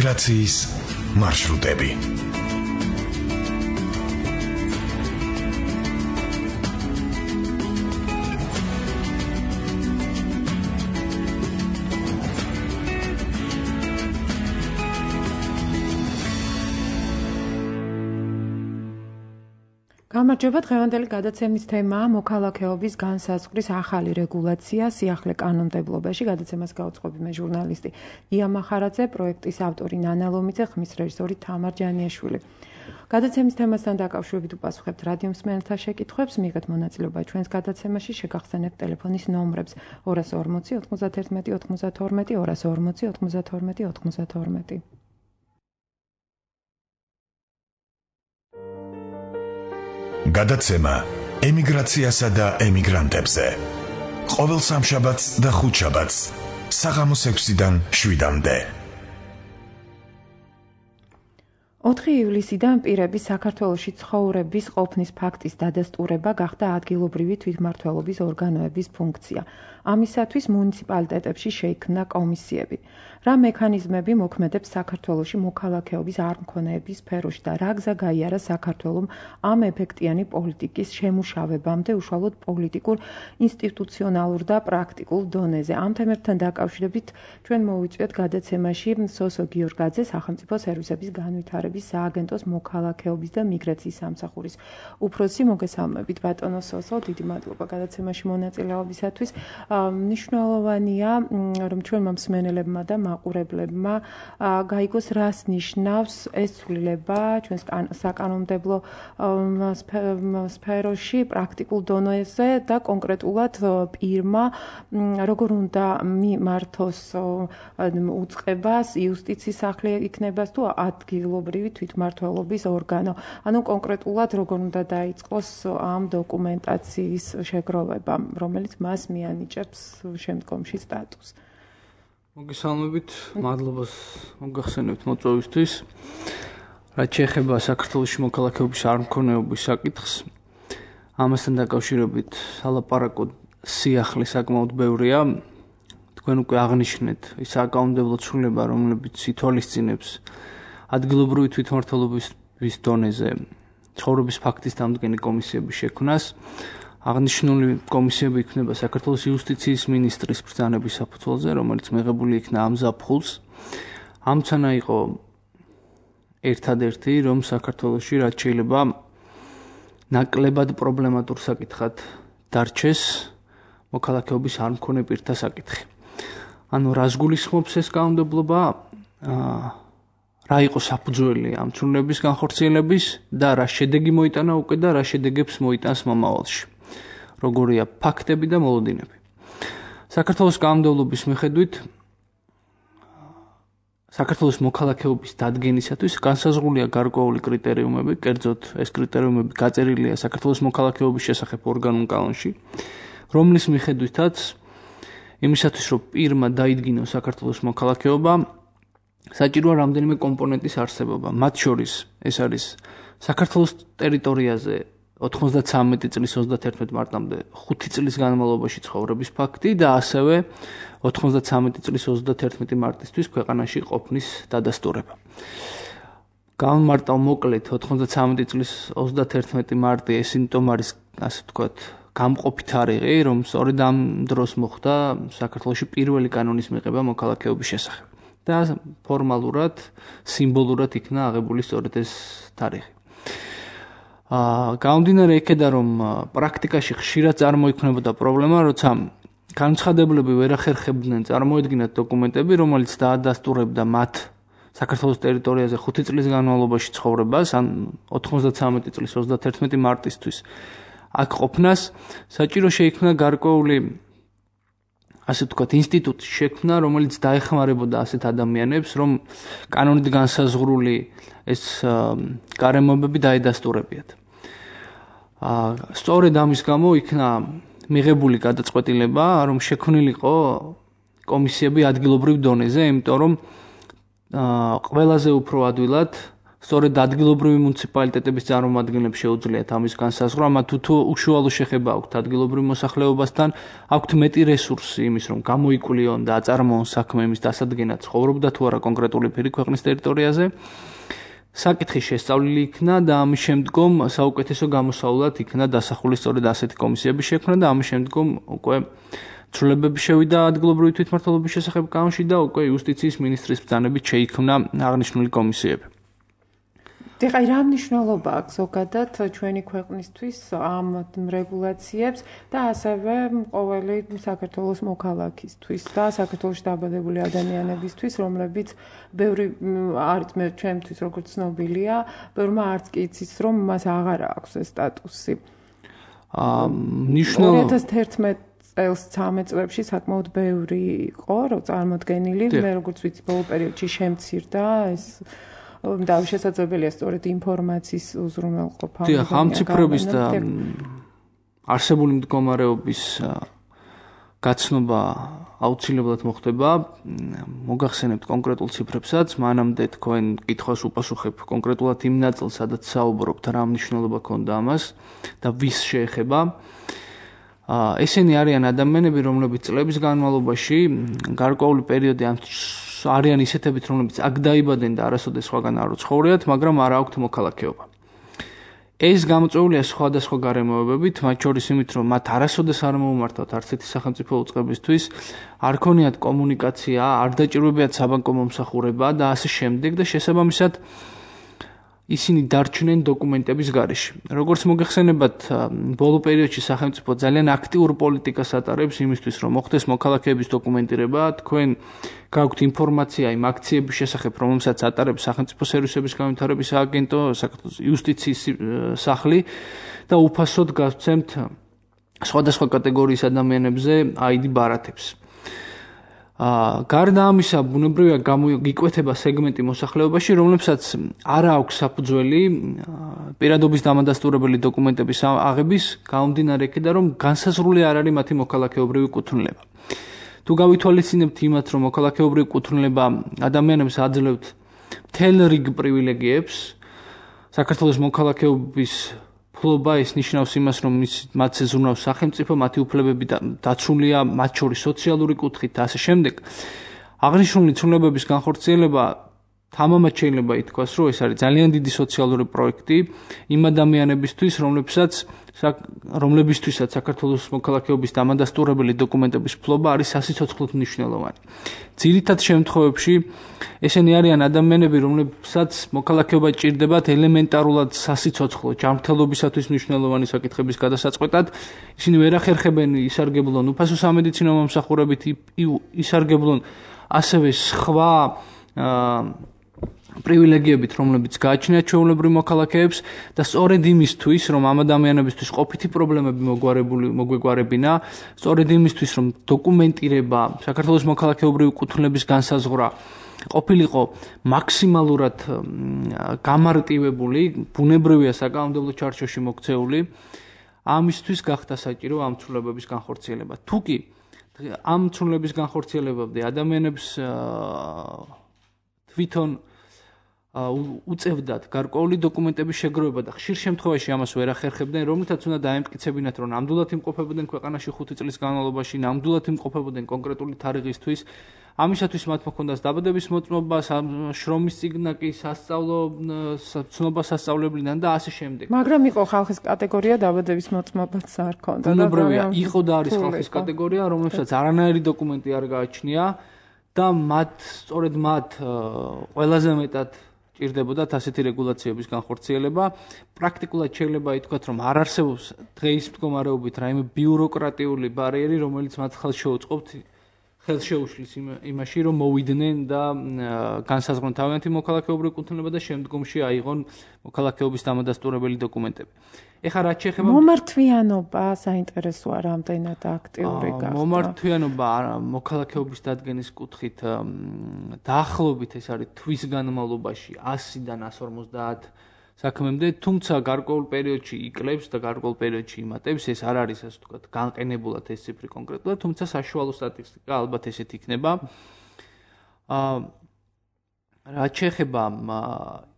ემიგრაციის მარშრუტები. გამარჯობა, დღევანდელი გადაცემის თემაა მოქალაქეობის განსაზღვრის ახალი რეგულაცია სიახლე კანონმდებლობაში. გადაცემას გაუძღვები მე ჟურნალისტი ია მახარაძე, პროექტის ავტორი ნანა ლომიძე, ხმის რეჟისორი თამარ ჯანიაშვილი. გადაცემის თემასთან დაკავშირებით უპასუხებთ რადიო მსმენელთა შეკითხვებს, მიიღეთ მონაწილეობა ჩვენს გადაცემაში, შეგახსენებთ ტელეფონის ნომრებს 240 91 92 240 92 92. გადაცემა ემიგრაციასა და ემიგრანტებზე. ყოველ სამშაბათს და ხუთშაბათს საღამოს 6-დან 7-მდე. 4 ივლისიდან პირების საქართველოში ცხოვრების ყოფნის ფაქტის დადასტურება გახდა ადგილობრივი თვითმმართველობის ორგანოების ფუნქცია. ამისათვის მუნიციპალიტეტებში შეიქმნა კომისიები. რა მექანიზმები მოქმედებს საქართველოში მოქალაქეობის არ მქონეების სფეროში და რა გზა გაიარა საქართველომ ამ ეფექტიანი პოლიტიკის შემუშავებამდე უშუალოდ პოლიტიკურ, ინსტიტუციონალურ და პრაქტიკულ დონეზე. ამ თემებთან დაკავშირებით ჩვენ მოვიწვიეთ გადაცემაში სოსო გიორგაძე, სახელმწიფო სერვისების განვითარების სააგენტოს მოქალაქეობის და მიგრაციის სამსახურის უფროსი. მოგესალმებით ბატონო სოსო, დიდი მადლობა გადაცემაში მონაწილეობისათვის. მნიშვნელოვანია, რომ ჩვენმა მსმენელებმა და მაყურებლებმა გაიგოს, რას ნიშნავს ეს ცვლილება ჩვენს საკანონმდებლო სფეროში, პრაქტიკულ დონეზე და კონკრეტულად პირმა როგორ უნდა მიმართოს უწყებას, იუსტიციის სახლი იქნებას თუ ადგილობრივი თვითმმართველობის ორგანო. ანუ კონკრეტულად როგორ უნდა დაიწყოს ამ დოკუმენტაციის შეგროვება, რომელიც მას მიანიჭებს შემდგომში სტატუსს. მოგესალმებით, მადლობას მოგახსენებთ მოწვევისთვის. რაც შეეხება საქართველოში მოქალაქეობის არ მქონეობის საკითხს, ამასთან დაკავშირებით სალაპარაკო სიახლე საკმაოდ ბევრია. თქვენ უკვე აღნიშნეთ ის საკანონმდებლო ცვლილება, რომლებიც ითვალისწინებს ადგილობრივი თვითმმართველობის დონეზე ცხოვრების ფაქტის დამდგენი კომისიების შექმნას. აღნიშნული კომისიები იქნება საქართველოს იუსტიციის მინისტრის ბრძანების საფუძველზე, რომელიც მიღებული იქნა ამ ზაფხულს. ამცანა იყო ერთადერთი, რომ საქართველოში რაც შეიძლება ნაკლებად პრობლემატურ საკითხად დარჩეს მოქალაქეობის არ მქონე პირთა საკითხი. ანუ რას გულისხმობს ეს კანონმდებლობა, რა იყო საფუძველი ამ ცვლილების განხორციელების და რა შედეგი მოიტანა უკვე და რა შედეგებს მოიტანს მომავალში. როგორია ფაქტები და მოლოდინები. საქართველოს კანონმდებლობის მიხედვით საქართველოს მოქალაქეობის დადგენისათვის განსაზღვრულია გარკვეული კრიტერიუმები, კერძოდ ეს კრიტერიუმები გაწერილია საქართველოს მოქალაქეობის შესახებ ორგანულ კანონში, რომლის მიხედვითაც იმისათვის, რომ პირმა დაიდგინოს საქართველოს მოქალაქეობა, საჭიროა რამდენიმე კომპონენტის არსებობა. მათ შორის ეს არის საქართველოს ტერიტორიაზე 93 წლის 31 მარტამდე 5 წლის განმავლობაში ცხოვრების ფაქტი და ასევე 93 წლის 31 მარტისთვის ქვეყანაში ყოფნის დადასტურება. გამომარტავ მოკლედ 93 წლის 31 მარტი ეს იმიტომ არის, ასე ვთქვათ, გამყოფი თარიღი, რომ სწორედ ამ დროს მოხდა საქართველოში პირველი კანონის მიღება მოქალაქეობის შესახებ. და ფორმალურად, სიმბოლურად იქნა აღებული სწორედ ეს თარიღი. გამომდინარე იქედან, რომ პრაქტიკაში ხშირად წარმოიქმნებოდა პრობლემა, როცა განცხადებლები ვერ ახერხებდნენ წარმოედგინათ დოკუმენტები, რომელიც დაადასტურებდა მათ საქართველოს ტერიტორიაზე 5 წლის განმავლობაში ცხოვრებას, ან 93 წლის 31 მარტისთვის აქ ყოფნას, საჭირო შეიქმნა გარკვეული, ასე ვთქვათ, ინსტიტუტი შექმნა, რომელიც დაეხმარებოდა ასეთ ადამიანებს, რომ კანონით განსაზღვრული ეს გარემოებები დაედასტურებიათ. სწორედ ამის გამო იქნა მიღებული გადაწყვეტილება, რომ შექმნილიყო კომისიები ადგილობრივ დონეზე, იმიტომ რომ ყველაზე უფრო ადვილად სწორედ ადგილობრივი მუნიციპალიტეტების წარმომადგენლებს შეუძლიათ ამის განსაზღვრა, მათ თუ უშუალო შეხება აქვთ ადგილობრივ მოსახლეობასთან, აქვთ მეტი რესურსი იმის, რომ გამოიკულიონ და აწარმოონ საქმე იმის დასადგენად, ცხოვრობდა თუ არა კონკრეტული პირი ქვეყნის ტერიტორიაზე. საკითხი შესწავლილი იქნა და ამის შემდგომ საუკეთესო გამოსავლად იქნა დასახული სწორედ ასეთი კომისიების შექმნა და ამის შემდგომ უკვე ცვლილებები შევიდა ადგილობრივი თვითმმართველობის შესახებ კანონში და უკვე იუსტიციის მინისტრის ბრძანებით შეიქმნა აღნიშნული კომისიები. ეხლა რა მნიშვნელობა აქვს ზოგადად ჩვენი ქვეყნისთვის ამ რეგულაციებს და ასევე ყოველი საქართველოს მოქალაქისთვის და საქართველოში დაბადებული ადამიანებისთვის, რომლებიც ბევრი არის ჩვენთვის როგორც ცნობილია, ბევრმა არც კი იცის, რომ მას აღარ აქვს ეს სტატუსი. 2011 წელს 13 წლებში საკმაოდ ბევრი იყო, რომ წარმოდგენილი, მე როგორც ვიცი, ბოლო პერიოდში შემცირდა ეს და შესაძლებელია სწორედ ინფორმაციის უზრუნველყოფა. დიახ, ამ ციფრების და არსებული მდგომარეობის გაცნობა აუცილებლად მოხდება. მოგახსენებთ კონკრეტულ ციფრებსაც, მანამდე თქვენ კითხვას უპასუხებ კონკრეტულად იმ ნაწილს, სადაც საუბრობთ, რა მნიშვნელობა ქონდა ამას და ვის შეეხება. ესენი არიან ადამიანები, რომლებიც წლების განმავლობაში გარკვეული პერიოდი არიან ისეთებით, რომლებიც აქ დაიბადნენ და არასოდეს სხვაგან არ ცხოვრიათ, მაგრამ არ აქვთ მოქალაქეობა. ეს გამოწვეულია სხვადასხვა გარემოებებით, მათ შორის იმით, რომ მათ არასოდეს არ მოუმართავთ არც ერთი სახელმწიფო უწყებისთვის, არ ქონიათ კომუნიკაცია, არ დაჭირვებიათ საბანკო მომსახურება და ასე შემდეგ და შესაბამისად ისინი დარჩნენ დოკუმენტების გარეშე. როგორც მოგეხსენებათ, ბოლო პერიოდში სახელმწიფო ძალიან აქტიურ პოლიტიკას ატარებს იმისთვის, რომ მოხდეს მოქალაქეების დოკუმენტირება. თქვენ გაქვთ ინფორმაცია იმ აქციების შესახებ, რომელსაც ატარებს სახელმწიფო სერვისების განვითარების სააგენტო, საქართველოს იუსტიციის სახლი და უფასოდ გასცემთ სხვადასხვა კატეგორიის ადამიანებზე ID ბარათებს. გარდა ამისა, ბუნებრივია გამოიკვეთება სეგმენტი მოსახლეობაში, რომლებსაც არ აქვს საფუძველი პირადობის დამადასტურებელი დოკუმენტების აღების, გამომდინარე იქიდან, რომ განსაზღვრული არ არის მათი მოქალაქეობრივი კუთვნილება. თუ გავითვალისწინებთ იმათ, რომ მოქალაქეობრივი კუთვნილება ადამიანებს აძლევთ მთელ რიგ პრივილეგიებს, საქართველოს მოქალაქეობის ფლობა ეს ნიშნავს იმას, რომ მათ ზრუნავს სახელმწიფო, მათი უფლებები დაცულია, მათ შორის სოციალური კუთხით და ასე შემდეგ. აღნიშნული ცვლილებების განხორციელება თამამად შეიძლება ითქვას, რომ ეს არის ძალიან დიდი სოციალური პროექტი იმ ადამიანებისთვის, რომლებისთვისაც საქართველოს მოქალაქეობის დამადასტურებელი დოკუმენტების ფლობა არის სასიცოცხლოდ მნიშვნელოვანი. ძირითად შემთხვევებში ესენი არიან ადამიანები, რომლებსაც მოქალაქეობა ჭირდებათ ელემენტარულად სასიცოცხლო ჯანმრთელობისათვის მნიშვნელოვანი საკითხების გადასაწყვეტად. ისინი ვერ ახერხებენ ისარგებლონ უფასო სამედიცინო მომსახურებით, ისარგებლონ ასევე სხვა პრივილეგიებით, რომლებიც გააჩნიათ ჩვეულებრივ მოქალაქეებს და სწორედ იმისთვის, რომ ამ ადამიანებისთვის ყოფითი პრობლემები მოგვეგვარებინა, სწორედ იმისთვის, რომ დოკუმენტირება, საქართველოს მოქალაქეობრივი კუთვნილების განსაზღვრა ყოფილიყო მაქსიმალურად გამარტივებული, ბუნებრივია საკანონმდებლო ჩარჩოში მოქცეული, ამისთვის გახდა საჭირო ამ ცვლილებების განხორციელება. თუკი ამ ცვლილების განხორციელებამდე ადამიანებს თვითონ უწევდათ გარკვეული დოკუმენტების შეგროვება და ხშირ შემთხვევაში ამას ვერ ახერხებდნენ, რომლითაც უნდა დაემტკიცებინათ, რომ ნამდვილად იმყოფებოდნენ ქვეყანაში 5 წლის განმავლობაში, ნამდვილად იმყოფებოდნენ კონკრეტული თარიღისთვის. ამისათვის მათ მოქონდათ დაბადების მოწმობა, შრომის წიგნაკი, სასწავლო ცნობა სასწავლებლიდან და ასე შემდეგ. მაგრამ იყო ხალხის კატეგორია დაბადების მოწმობაც არ ქონდა. ბუნებრივია, იყო და არის ხალხის კატეგორია, რომელსაც არანაირი დოკუმენტი არ გააჩნია და სწორედ მათ ყველაზე მეტად ჭირდებოდათ ასეთი რეგულაციების განხორციელება. პრაქტიკულად შეიძლება ითქვათ, რომ არ არსებობს დღეის მდგომარეობით რაიმე ბიუროკრატიული ბარიერი, რომელიც მათ ხელს შეუშლის იმაში, რომ მოვიდნენ და განსაზღვრონ თავიანთი მოქალაქეობრივი კუთვნილება და შემდგომში აიღონ მოქალაქეობის დამადასტურებელი დოკუმენტები. ეხლა რაც შეეხება მომართვიანობა საინტერესოა, რამდენად აქტიური გახდა. მომართვიანობა მოქალაქეობის დადგენის კუთხით დაახლოებით ეს არის თვის განმავლობაში 100-დან 150 საქმემდე, თუმცა გარკვეულ პერიოდში იკლებს და გარკვეულ პერიოდში იმატებს, ეს არ არის ასე ვთქვათ განყენებულად ეს ციფრი კონკრეტულად, თუმცა საშუალო სტატისტიკა ალბათ ესეთი იქნება. რაც შეეხება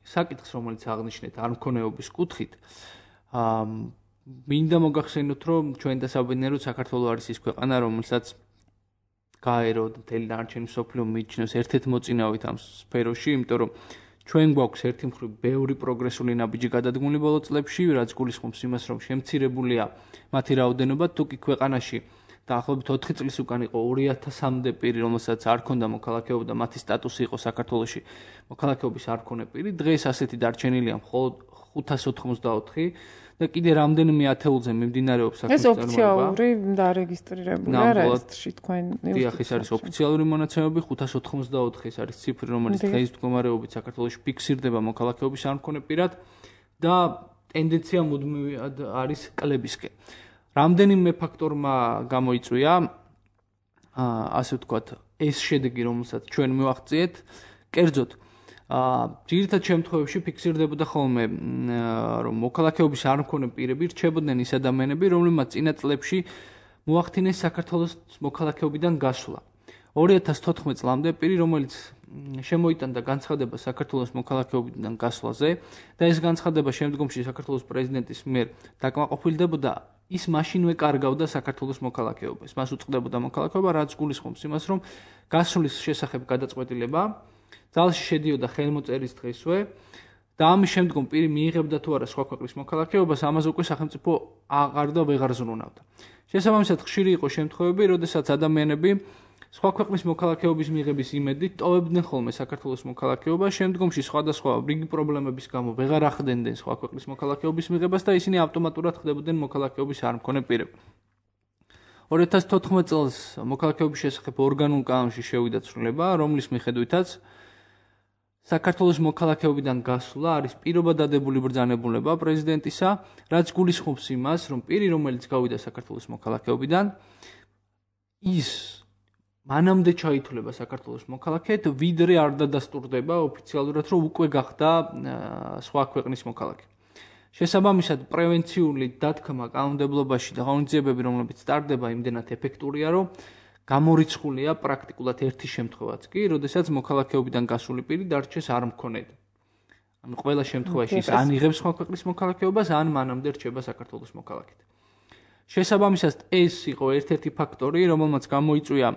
საკითხს, რომელიც აღნიშნეთ არ მქონეობის კუთხით, მინდა მოგახსენოთ, რომ ჩვენ დასაბინეროთ საქართველოს არის ის ქვეყანა, რომელსაც გაერო მთელი დანარჩენი მსოფლიო მიიჩნევს ერთ-ერთ მოწინავით ამ სფეროში, იმიტომ რომ ჩვენ გვაქვს ერთი მხრივ ბევრი პროგრესული ნაბიჯი გადადგმული ბოლო წლებში, რაც გულისხმობს იმას, რომ შემცირებულია მათი რაოდენობა, თუკი ქვეყანაში დაახლოებით 4 წლის უკან იყო 2000-მდე პირი, რომელსაც არ ჰქონდა მოქალაქეობა და მათი სტატუსი იყო საქართველოში მოქალაქეობის არ მქონე პირი, დღეს ასეთი დარჩენილია მხოლოდ 584 და კიდე რამდენიმე ათეულზე მიმდინარეობს საქმის წარმოება. ეს ოფიციალური დარეგისტრირებულია რეესტრში თქვენ დიახ, ეს არის ოფიციალური მონაცემები, 584 ეს არის ციფრი, რომელიც დღეს მდგომარეობით საქართველოში ფიქსირდება მოქალაქეობის არ მქონე პირად და ტენდენცია მუდმივად არის კლებისკენ. რამდენიმე ფაქტორმა გამოიწვია, ასე ვთქვათ, ეს შედეგი, რომელსაც ჩვენ მივაღწიეთ, კერძოდ ძირითად შემთხვევებში ფიქსირდებოდა ხოლმე, რომ მოქალაქეობის არ მქონე პირები რჩებოდნენ ის ადამიანები, რომლებმაც წინა წლებში მოახდინეს საქართველოს მოქალაქეობიდან გასვლა. 2014 წლამდე პირი, რომელიც შემოიტანდა განცხადება საქართველოს მოქალაქეობიდან გასვლაზე და ეს განცხადება შემდგომში საქართველოს პრეზიდენტის მიერ დაკმაყოფილდებოდა, ის მაშინვე კარგავდა საქართველოს მოქალაქეობას. მას უწყდებოდა მოქალაქეობა, რაც გულისხმობს იმას, რომ გასვლის შესახებ გადაწყვეტილება ძალში შედიოდა ხელმოწერის დღესვე და ამის შემდგომ პირი მიიღებდა თუ არა სხვა ქვეყნის მოქალაქეობას, ამაზე უკვე სახელმწიფო აღარ და ვეღარ ზრუნავდა. შესაბამისად, ხშირი იყო შემთხვევები, როდესაც ადამიანები სხვა ქვეყნის მოქალაქეობის მიღების იმედით ტოვებდნენ ხოლმე საქართველოს მოქალაქეობას, შემდგომში სხვადასხვა რიგი პრობლემების გამო ვეღარ ახდენდნენ სხვა ქვეყნის მოქალაქეობის მიღებას და ისინი ავტომატურად ხდებოდნენ მოქალაქეობის არ მქონე პირები. 2014 წელს მოქალაქეობის შესახებ ორგანულ კანონში შევიდა ცვლილება, რომლის მიხედვითაც საქართველოს მოქალაქეობიდან გასვლა არის პირობა დადებული ბრძანებულება პრეზიდენტისა, რაც გულისხმობს იმას, რომ პირი, რომელიც გავიდა საქართველოს მოქალაქეობიდან, ის მანამდე ჩაითვლება საქართველოს მოქალაქედ, ვიდრე არ დადასტურდება ოფიციალურად, რომ უკვე გახდა სხვა ქვეყნის მოქალაქე. შესაბამისად, პრევენციული დათქმა კანონმდებლობაში და ღონისძიებები, რომლებიც ტარდება, იმდენად ეფექტურია, რომ გამორიცხულია პრაქტიკულად ერთი შემთხვევაც კი, როდესაც მოქალაქეობიდან გასული პირი დარჩეს არ მქონედ. ანუ ყველა შემთხვევაში ის ან იღებს სხვა ქვეყნის მოქალაქეობას, ან მანამდე რჩება საქართველოს მოქალაქედ. შესაბამისად, ეს იყო ერთ-ერთი ფაქტორი, რომელმაც გამოიწვია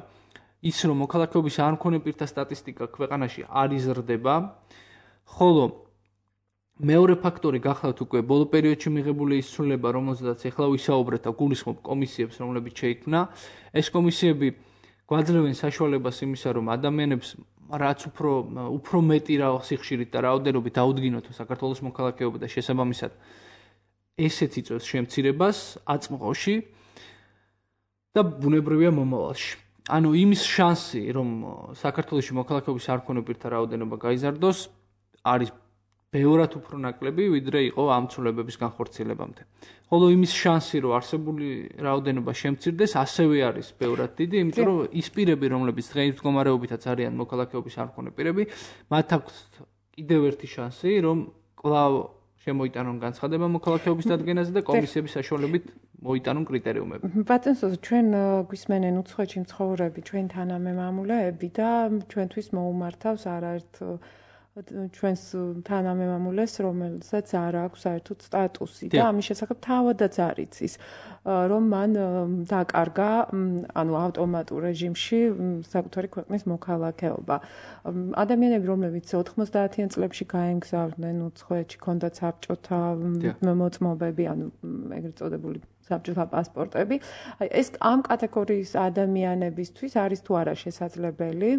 ის, რომ მოქალაქეობის არ მქონე პირთა სტატისტიკა ქვეყანაში არ იზრდება, ხოლო მეორე ფაქტორი გახლავთ უკვე ბოლო პერიოდში მიღებული ის ცვლილება, რომელზედაც ეხლა ვისაუბრეთ და გულისხმობ კომისიებს, რომლებიც შეიქმნა. ეს კომისიები გვაძლევენ საშუალებას იმისა, რომ ადამიანებს რაც უფრო მეტი სიხშირით და რაოდენობით აუდგინოთ საქართველოს მოქალაქეობა და შესაბამისად ესეც იწვევს შემცირებას აწმყოში და ბუნებრივია მომავალში. ანუ იმის შანსი, რომ საქართველოში მოქალაქეობის არ მქონე პირთა რაოდენობა გაიზარდოს, არის ბევრად უფრო ნაკლები, ვიდრე იყო ამ ცვლილებების განხორციელებამდე. ხოლო იმის შანსი, რომ არსებული რაოდენობა შემცირდეს, ასევე არის ბევრად დიდი, იმიტომ რომ ის პირები, რომლებიც დღეის მდგომარეობითაც არიან მოქალაქეობის არ მქონე პირები, მათ აქვს კიდევ ერთი შანსი, რომ კვლავ შემოიტანონ განცხადება მოქალაქეობის დადგენაზე და კომისიების საშუალებით მოიტანონ კრიტერიუმები. ბატონო, ჩვენ გვისმენენ უცხოეთში მცხოვრები ჩვენ თანამემამულეები და ჩვენთვის მოუმართავს არაერთ ჩვენს თანამემამულეს, რომელსაც არ აქვს საერთოდ სტატუსი და ამის შესახებ თავადაც არ იცის, რომ მან დაკარგა, ანუ ავტომატურ რეჟიმში საკუთარი ქვეყნის მოქალაქეობა. ადამიანები, რომლებიც 90-იან წლებში გაემგზავრნენ უცხოეთში, ჰქონდათ საბჭოთა მოწმობები, ანუ ეგრეთ წოდებული საბჭოთა პასპორტები, ეს ამ კატეგორიის ადამიანებისთვის არის თუ არა შესაძლებელი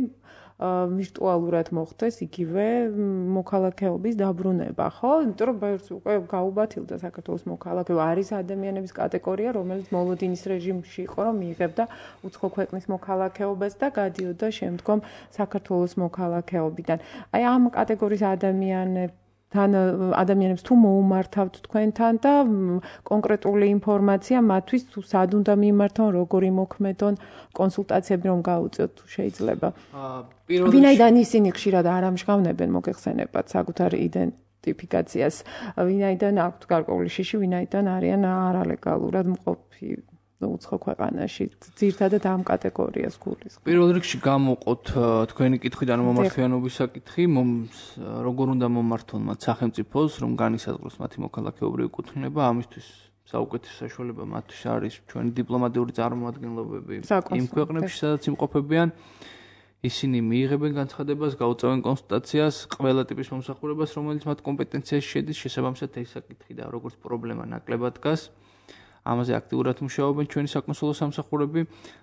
ვირტუალურად მოხდეს იგივე მოქალაქეობის დაბრუნება, ხო? იმიტომ რომ უკვე გაუბათილდა საქართველოს მოქალაქეობა, არის ადამიანების კატეგორია, რომელიც მოლოდინის რეჟიმში იყო, რომ მიიღებდა უცხო ქვეყნის მოქალაქეობას და გადიოდა შემდგომ საქართველოს მოქალაქეობიდან. აი ამ კატეგორიის ადამიანებს თუ მოუმართავთ თქვენთან და კონკრეტული ინფორმაცია მათთვის თუ სად უნდა მიმართონ, როგორი მოქმედონ კონსულტაციები რომ გაუწიოთ თუ შეიძლება. ვინაიდან ისინი ხშირად არ ამჟღავნებენ მოგეხსენებათ საკუთარ იდენტიფიკაციას, ვინაიდან აქვთ გარკვეული შიში, ვინაიდან არიან არალეგალურად მყოფი უცხო ქვეყანაში ძირთადად ამ კატეგორიას გულისხმობს. პირველ რიგში გამოვყოთ თქვენი კითხვიდან მომართვიანობის საკითხი, როგორ უნდა მომართონ მათ სახელმწიფოს, რომ განისაზღვროს მათი მოქალაქეობრივი კუთვნილება, ამისთვის საუკეთესო საშუალება მათთვის არის ჩვენი დიპლომატიური წარმომადგენლობები იმ ქვეყნებში, სადაც იმყოფებიან. ისინი მიიღებენ განცხადებას, გაუწევენ კონსულტაციას, ყველა ტიპის მომსახურებას, რომელიც მათ კომპეტენციაში შედის, შესაბამისად ეს საკითხი და როგორც პრობლემა ნაკლებად დგას. ამაზე აქტიურად მუშაობენ ჩვენი საკონსულო სამსახურები,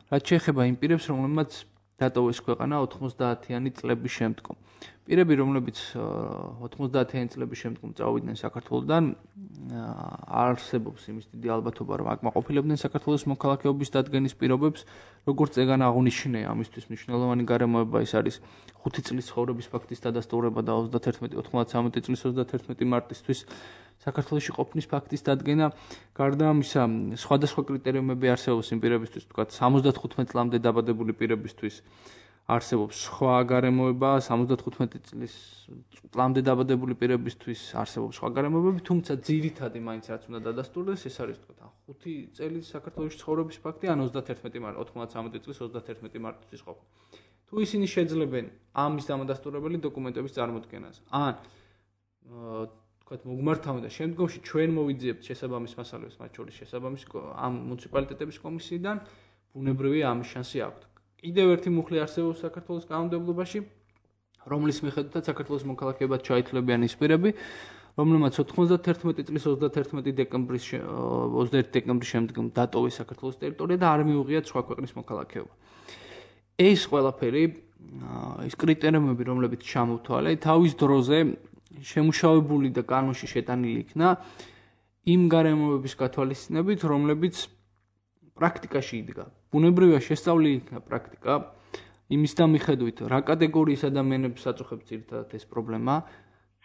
რაც შეეხება იმ პირებს, რომლებმაც დატოვეს ქვეყანა 90-იანი წლების შემდგომ. პირები, რომლებიც 90-იანი წლების შემდგომ წავიდნენ საქართველოდან, არსებობს იმის დიდი ალბათობა, რომ აკმაყოფილებდნენ საქართველოს მოქალაქეობის დადგენის პირობებს, როგორც ეგან აღნიშნე, ამისთვის მნიშვნელოვანი გარემოება ის არის 5 წლის ცხოვრების ფაქტის დადასტურება და 91 წლის 31 მარტისთვის საქართველოში ყოფნის ფაქტის დადგენა. გარდა ამისა, სხვადასხვა კრიტერიუმები არსებობს იმ პირებისთვის, თქვათ 75 წლამდე დაბადებული პირებისთვის არსებობს სხვა გარემოება, 75 წლამდე დაბადებული პირებისთვის არსებობს სხვა გარემოებები, თუმცა ძირითადი მაინც რაც უნდა დადასტურდეს, ეს არის თქვათ 5 წელი საქართველოში ცხოვრების ფაქტი, ან 91 წლის 31 მარტისთვის ყოფნა. თუ ისინი შეძლებენ ამის დამადასტურებელი დოკუმენტების წარმოდგენას, ან თქვათ მოგმართავენ და შემდგომში ჩვენ მოვიძიებთ შესაბამის მასალებს, მათ შორის შესაბამის ამ მუნიციპალიტეტების კომისიიდან, ბუნებრივია ამის შანსი აქვთ. კიდევ ერთი მუხლი არსებობს საქართველოს კანონმდებლობაში, რომლის მიხედვითაც საქართველოს მოქალაქეებად ჩაითვლებიან ის პირები, რომლებმაც 91 წლის 21 დეკემბრის შემდგომ დატოვეს საქართველოს ტერიტორია და არ მიუღიათ სხვა ქვეყნის მოქალაქეობა. ეს ყველაფერი, ის კრიტერიუმები, რომლებიც ჩამოვთვალე, თავის დროზე შემუშავებული და კანონში შეტანილი იქნა იმ გარემოებების გათვალისწინებით, რომლებიც პრაქტიკაში იდგა. ბუნებრივია შესწავლილი იქნა პრაქტიკა იმის და მიხედვით, რა კატეგორიის ადამიანებს აწუხებს ძირითადად ეს პრობლემა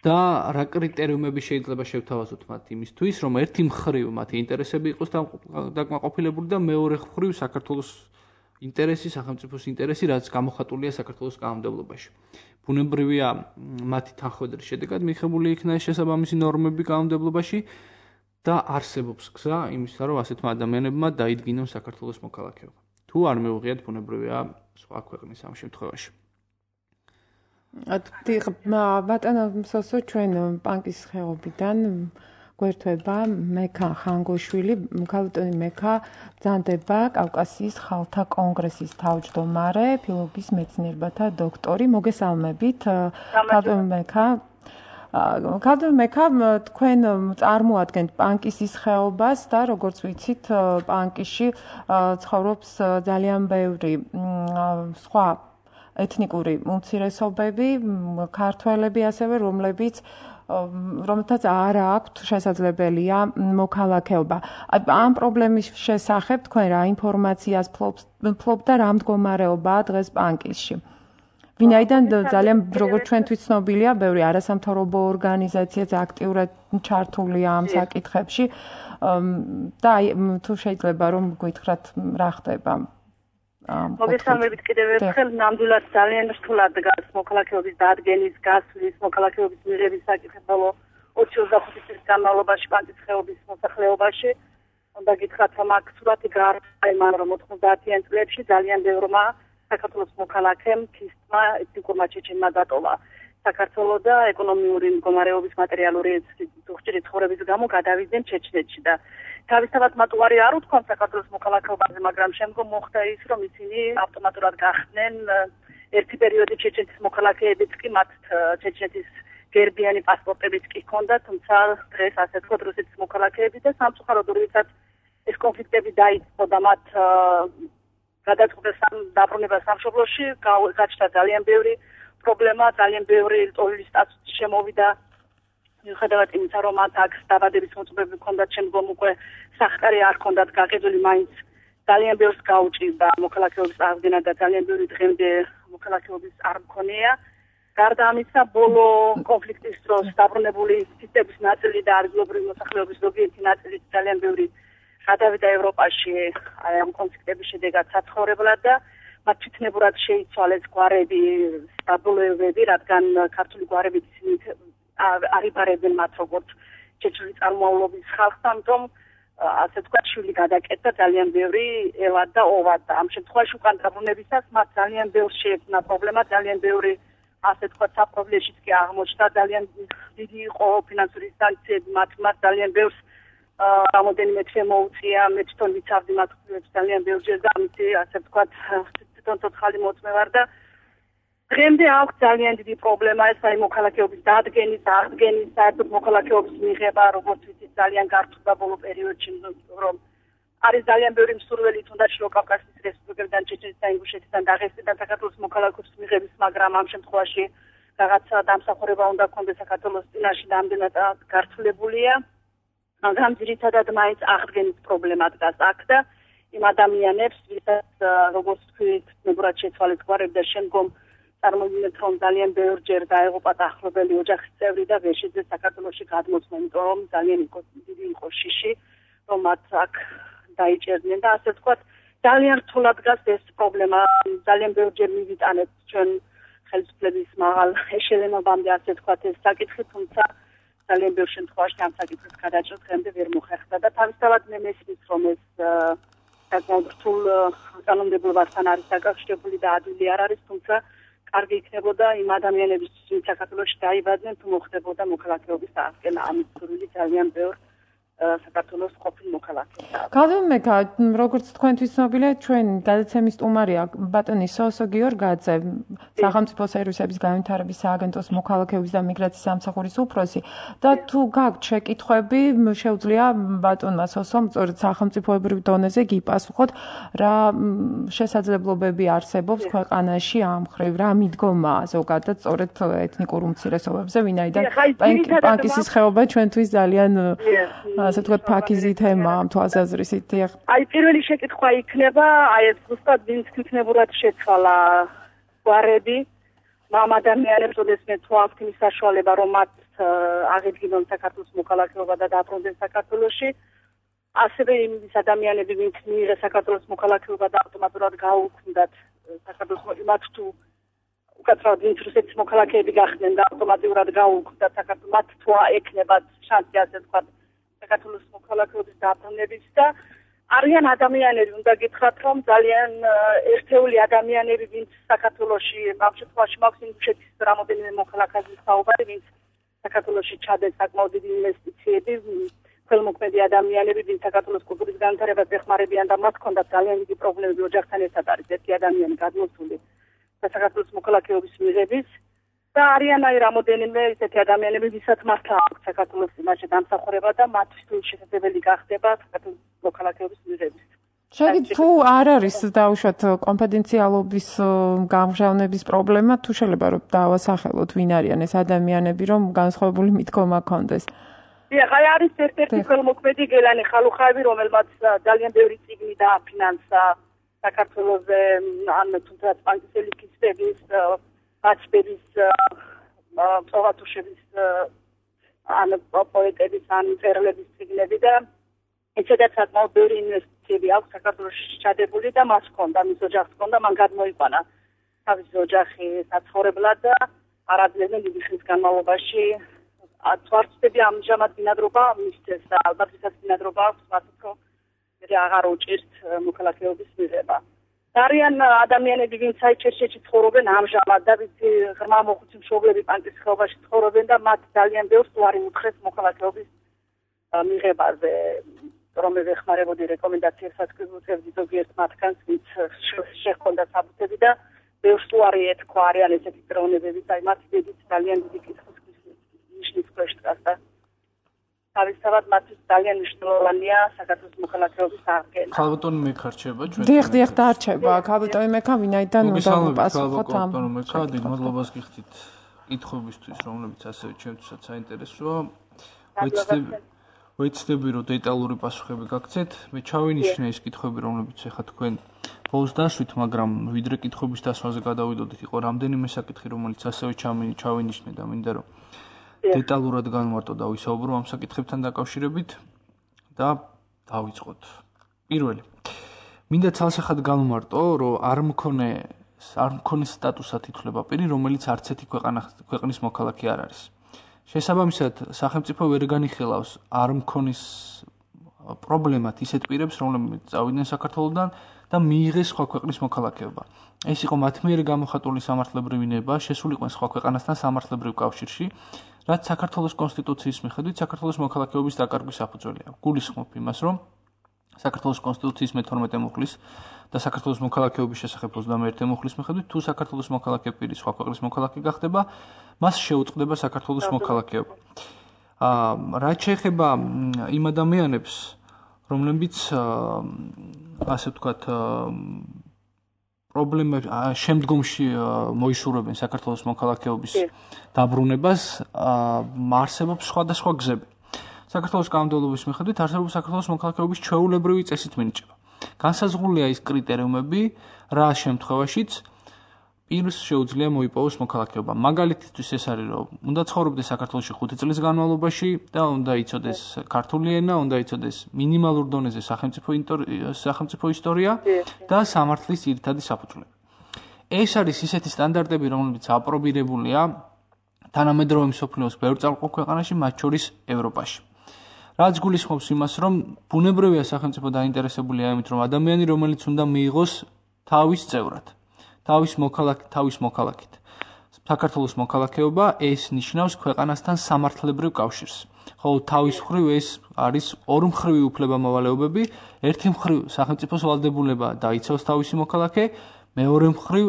და რა კრიტერიუმები შეიძლება შევთავაზოთ მათ იმისთვის, რომ ერთი მხრივ მათი ინტერესები იყოს დაკმაყოფილებული და მეორე მხრივ საქართველოს ინტერესი, სახელმწიფოს ინტერესი, რაც გამოხატულია საქართველოს კანონმდებლობაში. ბუნებრივია მათი თანხმედრის შედეგად მიღებული იქნა ეს შესაბამისი ნორმები კანონმდებლობაში და არსებობს გზა იმისა, რომ ასეთმა ადამიანებმა დაიდგინონ საქართველოს მოქალაქეობა. თუ არ მიუღიათ ბუნებრივია სხვა ქვეყნის ამ შემთხვევაში. ბატონო მსოსო, ჩვენ პანკის ხეობიდან გვერდება მექა ხანგოშვილი, ქალბატონი მექა ბრძანდება კავკასიის ხალხთა კონგრესის თავმჯდომარე, ფილოლოგიის მეცნიერებათა დოქტორი. მოგესალმებით, ქალბატონი მექა. ქალბატონი მექა, თქვენ წარმოადგენთ პანკისის ხეობას და როგორც ვიცით, პანკისში ცხოვრობს ძალიან ბევრი სხვა ეთნიკური უმცირესობები, ქართველები ასევე, რომელთაც არ აქვთ შესაძლებელია მოქალაქეობა. ამ პრობლემის შესახებ თქვენ რა ინფორმაციას ფლობთ და რა მდგომარეობაა დღეს პანკისში? ვინაიდან ძალიან როგორც ჩვენთვის ცნობილია, ბევრი არასამთავრობო ორგანიზაციაც აქტიურად ჩართულია ამ საკითხებში და თუ შეიძლება რომ გითხრათ რა ხდება. მოგესალმებით კიდევ ერთხელ, ნამდვილად ძალიან რთულად დგას მოქალაქეობის დადგენის, გასვლის, მოქალაქეობის მიღების საკითხი ბოლო 25 წლის განმავლობაში პანკის ხეობის მოსახლეობაში. უნდა გითხრათ, რომ აქ სურათი გაარკვევა იმან, რომ 90-იან წლებში ძალიან ბევრმა საქართველოს მოქალაქემ ქისტმა ეთნიკურმა ჩეჩენმა დატოვა საქართველო და ეკონომიური მდგომარეობის მატერიალური უხჭირი ცხოვრების გამო გადავიდნენ ჩეჩნეთში და თავისთავად მათ უარი არ უთქვამთ საქართველოს მოქალაქეობაზე, მაგრამ შემდგომ მოხდა ის, რომ ისინი ავტომატურად გახდნენ ერთი პერიოდი ჩეჩნეთის მოქალაქეებიც კი მათ ჩეჩნეთის გერბიანი პასპორტებიც კი ჰქონდათ, თუმცა დღეს ასე თქვა რუსეთის მოქალაქეები და სამწუხაროდ როდესაც ეს კონფლიქტები დაიწყო და მათ გადაწყვეტეს დაბრუნება სამშობლოში, გაჩნდა ძალიან ბევრი პრობლემა, ძალიან ბევრი ტოლის სტატუსი შემოვიდა. მიუხედავად იმისა, რომ მათ აქ დაბადების მოწმობები ჰქონდათ, შემდგომ უკვე სახკარი არ ჰქონდათ გაყიდული, მაინც ძალიან ბევრს გაუჭირდა მოქალაქეობის აღდგენა და ძალიან ბევრი დღემდე მოქალაქეობის არ მქონია. გარდა ამისა, ბოლო კონფლიქტის დროს დაბრუნებული სისტემის ნაწილი და ადგილობრივი მოსახლეობის ზოგიერთი ნაწილი ძალიან ბევრი გადავიდა ევროპაში ამ კონფლიქტების შედეგად საცხოვრებლად და მათ თვითნებურად შეიცვალეს გვარები, დაბოლოებები, რადგან ქართული გვარები არიბარებენ მათ როგორც ჩეჩნური წარმომავლობის ხალხს, ამიტომ ასე თქვა შვილი გადაკეთდა ძალიან ბევრი ელად და ოვად და ამ შემთხვევაში უკან დაბრუნებისას მათ ძალიან ბევრ შეექმნა პრობლემა, ძალიან ბევრი ასე თქვა საპრობლემოშიც კი აღმოჩნდა, ძალიან დიდი იყო ფინანსური სანქციები მათ ძალიან ბევრს რამოდენიმე თვე მოუწია, მე თვითონ ვიცავდი მათ ძალიან ბევრჯერ და ამით ასე თქვა თვითონ ცოცხალი მოწმე ვარ და დღემდე აქვს ძალიან დიდი პრობლემა ეს აი მოქალაქეობის დადგენის, აღდგენის, საერთოდ მოქალაქეობის მიღება, როგორც ვიცით, ძალიან გართულდა ბოლო პერიოდში, რომ არის ძალიან ბევრი მსურველი თუნდაც შუაკავკასიის რესპუბლიკებიდან, ჩეჩნეთიდან, ინგუშეთიდან, დაღესტნიდან საქართველოს მოქალაქეობის მიღების, მაგრამ ამ შემთხვევაში რაღაცა დამსახურება უნდა ქონდეს საქართველოს წინაშე რამდენად გართულებულია, მაგრამ ძირითადად მაინც აღდგენის პრობლემა დგას აქ და იმ ადამიანებს, ვისაც როგორც თქვით, მეგრად შეცვალეთ გვარები და შემდგომ წარმოვიდგინეთ, რომ ძალიან ბევრჯერ დაეღუპათ ახლობელი ოჯახის წევრი და ვერ შეძლეს საქართველოში გადმოცმა, იმიტომ რომ ძალიან დიდი იყო შიში, რომ მათ აქ დაიჭერდნენ და ასე ვთქვათ, ძალიან რთულად დგას ეს პრობლემა. ძალიან ბევრჯერ მივიტანეთ ჩვენ ხელისუფლების მაღალ ეშელონობამდე, ასე ვთქვათ, ეს საკითხი, თუმცა ძალიან ბევრ შემთხვევაში ამ საკითხის გადაჭრა დღემდე ვერ მოხერხდა და თავისთავად მე მესმის, რომ ეს საკმაოდ რთულ კანონმდებლობასთან არის დაკავშირებული და ადვილი არ არის, თუმცა კარგი იქნებოდა იმ ადამიანების, ვინც საქართველოში დაიბადნენ, თუ მოხდებოდა მოქალაქეობის აღდგენა. ამის სურვილი ძალიან ბევრ საქართველოს ყოფილ მოქალაქეებს. გალომეკა, როგორც თქვენთვის ცნობილია, ჩვენ გადაცემის სტუმარია ბატონი სოსო გიორგაძე, სახელმწიფო სერვისების განვითარების სააგენტოს მოქალაქეობის და მიგრაციის სამსახურის უფროსი და თუ გაქვთ შეკითხვები, შეუძლია ბატონმა სოსომ სწორედ სახელმწიფოებრივ დონეზე გიპასუხოთ, რა შესაძლებლობები არსებობს ქვეყანაში ამ მხრივ, რა მიდგომა ზოგადად სწორედ ეთნიკურ უმცირესობებზე, ვინაიდან პანკისის ხეობა ჩვენთვის ძალიან ასე ვთქვათ, ფაქიზი თემაა ამ თვალსაზრისით. აი, პირველი შეკითხვა იქნება, აი ეს ზუსტად ვინც თვითნებურად შეცვალა გვარები, ამ ადამიანებს ოდესმე თუ აქვთ იმის საშუალება, რომ მათ აღედგინონ საქართველოს მოქალაქეობა და დაბრუნდნენ საქართველოში. ასევე იმის ადამიანები, ვინც მიიღეს საქართველოს მოქალაქეობა და ავტომატურად გაუქმდათ საქართველოს მათ თუ უკაცრავად ვინც რუსეთის მოქალაქეები გახდნენ და ავტომატურად გაუქმდათ საქართველოს მათ თუ ეკნებათ შანსი ასე ვთქვათ საქართველოს მოქალაქეობის დაბრუნების და არიან ადამიანები, უნდა გითხრათ, რომ ძალიან ერთეული ადამიანები, ვინც საქართველოში ამ შემთხვევაში მაქვს ინგუშეთის რამოდენიმე მოქალაქეების საუბარი, ვინც საქართველოში ჩადეს საკმაოდ დიდი ინვესტიციები, ხელმოქმედი ადამიანები, ვინც საქართველოს კულტურის განვითარებას ეხმარებიან და მათ ჰქონდათ ძალიან დიდი პრობლემები ოჯახთან ერთად არის ერთი ადამიანი გადმოსული საქართველოს მოქალაქეობის მიღების და არიან აი რამოდენიმე ისეთი ადამიანები, ვისაც მართლა აქვს საქართველოს წინაშე დამსახურება და მათთვის შესაძლებელი გახდება საქართველოს მოქალაქეობის მიღების. შეგვიძლია თუ არ არის დაუშვათ კონფიდენციალობის გამჟღავნების პრობლემა, თუ შეიძლება რომ დავასახელოთ ვინ არიან ეს ადამიანები, რომ განსხვავებული მიდგომა ქონდეს. დიახ, აი არის ერთ-ერთი ხელმოქმედი გელანი ხალუხაევი, რომელმაც ძალიან ბევრი წიგნი დააფინანსა საქართველოზე, ან თუნდაც პანკისელი კისტების აცბების პროვატუშების ან პოეტების ან მწერლების წიგნები და ეცადაც საკმაოდ ბევრი ინვესტიციები აქვს საქართველოში ჩადებული და მას ჰქონდა, მის ოჯახს ჰქონდა, მან გადმოიყვანა თავისი ოჯახი საცხოვრებლად და არაძლევდნენ დიდი ხნის განმავლობაში თვარწები ამჟამად ბინადრობა მისცეს და ალბათ ისაც ბინადრობა აქვს მათთვის რომ აღარ უჭირთ მოქალაქეობის მიღება. არიან ადამიანები, ვინც საჩერჩეთში ცხოვრობენ ამჟამად და ვინც ღრმა მოხუცი მშობლები პანკის ხეობაში ცხოვრობენ და მათ ძალიან ბევრს უარი უთხრეს მოქალაქეობის მიღებაზე, რომ ეხმარებოდი რეკომენდაციებსაც გვიწევდი ზოგიერთ მათგანს, ვინც შეჰქონდა საბუთები და ბევრს უარი ეთქვა, არიან ესეთი პიროვნებები, აი მათ დიდ ძალიან დიდი კითხვის ნიშნის ქვეშ დგას და თავისთავად მათთვის ძალიან მნიშვნელოვანია საქართველოს მოქალაქეობის აღდგენა. ხალბატონი მეკარჩება ჩვენ. დიახ, დარჩება. ხალბატონი მეკა ვინაიდან უნდა ვუპასუხოთ ამ. ხალბატონი მეკა, დიდ მადლობას გიხდით კითხვებისთვის, რომლებიც ასევე ჩვენთვისაც საინტერესოა. ვეცდები რომ დეტალური პასუხები გაგცეთ. მე ჩავინიშნე ის კითხვები, რომლებიც ახლა თქვენ ბოლოს დაშვით, მაგრამ ვიდრე კითხვების დასვაზე გადავიდოდით, იყო რამდენიმე საკითხი, რომელიც ასევე ჩავინიშნე და მინდა რომ დეტალურად განვარტო და ვისაუბრო ამ საკითხებთან დაკავშირებით და დავიწყოთ. პირველი. მინდა ცალსახად განვარტო, რომ არ მქონე სტატუსად ითვლება პირი, რომელიც არც ერთი ქვეყნის მოქალაქე არ არის. შესაბამისად, სახელმწიფო ვერ განიხილავს არ პრობლემად ისეთ პირებს, რომლებიც წავიდნენ საქართველოდან და მიიღეს სხვა ქვეყნის მოქალაქეობა. ეს იყო მათ მიერ გამოხატული სამართლებრივი ნება, შესულიყვნენ სხვა ქვეყანასთან სამართლებრივ კავშირში, რაც საქართველოს კონსტიტუციის მიხედვით საქართველოს მოქალაქეობის დაკარგვის საფუძველია. გულისხმობ იმას, რომ საქართველოს კონსტიტუციის მე-12 მუხლის და საქართველოს მოქალაქეობის შესახებ 21 მუხლის მიხედვით, თუ საქართველოს მოქალაქე პირი სხვა ქვეყნის მოქალაქე გახდება, მას შეუწყდება საქართველოს მოქალაქეობა. რაც შეეხება იმ ადამიანებს, რომლებიც ასე ვთქვათ, პრობლემები შემდგომში მოისურვებენ საქართველოს მოქალაქეობის დაბრუნებას, არსებობს სხვადასხვა გზები. საქართველოს კანონმდებლობის მიხედვით არსებობს საქართველოს მოქალაქეობის ჩვეულებრივი წესით მინიჭება. განსაზღვრულია ის კრიტერიუმები, რა შემთხვევაშიც პირს შეუძლია მოიპოვოს მოქალაქეობა. მაგალითისთვის ეს არის, რომ უნდა ცხოვრობდეს საქართველოში 5 წლის განმავლობაში და უნდა იცოდეს ქართული ენა, უნდა იცოდეს მინიმალურ დონეზე სახელმწიფო ისტორია და სამართლის ძირითადი საფუძვლები. ეს არის ისეთი სტანდარტები, რომლებიც აპრობირებულია თანამედროვე მსოფლიოს ბევრ წამყვან ქვეყანაში, მათ შორის ევროპაში. რაც გულისხმობს იმას, რომ ბუნებრივია სახელმწიფო დაინტერესებულია იმით, რომ ადამიანი, რომელიც უნდა მიიღოს თავის წევრად, თავის მოქალაქით. საქართველოს მოქალაქეობა ეს ნიშნავს ქვეყანასთან სამართლებრივ კავშირს. ხოლო თავის მხრივ ეს არის ორმხრივი უფლებამოვალეობები, ერთი მხრივ სახელმწიფოს ვალდებულება დაიცავს თავისი მოქალაქე, მეორე მხრივ